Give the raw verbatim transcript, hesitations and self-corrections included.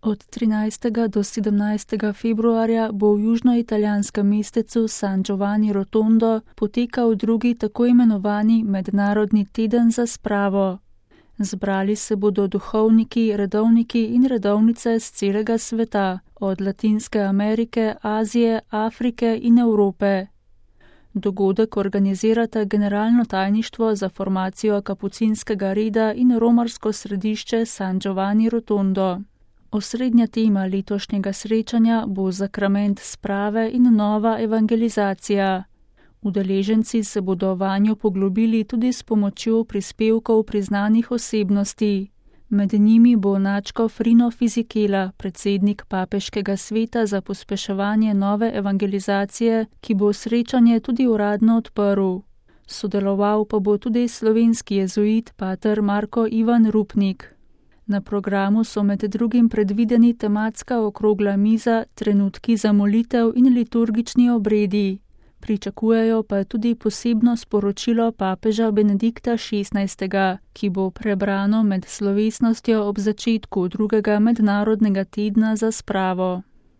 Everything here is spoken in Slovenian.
Od trinajstega do sedemnajstega februarja bo v južnoitalijanskem mestecu San Giovanni Rotondo potekal drugi tako imenovani mednarodni teden za spravo. Zbrali se bodo duhovniki, redovniki in redovnice z celega sveta, od Latinske Amerike, Azije, Afrike in Evrope. Dogodek organizirata Generalno tajništvo za formacijo kapucinskega reda in romarsko središče San Giovanni Rotondo. Osrednja tema letošnjega srečanja bo zakrament sprave in nova evangelizacija. Udeleženci se bodo vanjo poglobili tudi s pomočjo prispevkov priznanih osebnosti. Med njimi bo nadškof Rino Fisichella, predsednik papeškega sveta za pospeševanje nove evangelizacije, ki bo srečanje tudi uradno odprl. Sodeloval pa bo tudi slovenski jezuit pater Marko Ivan Rupnik. Na programu so med drugim predvideni tematska okrogla miza, trenutki za molitev in liturgični obredi. Pričakujejo pa tudi posebno sporočilo papeža Benedikta šestnajstega, ki bo prebrano med slovesnostjo ob začetku drugega mednarodnega tedna za spravo.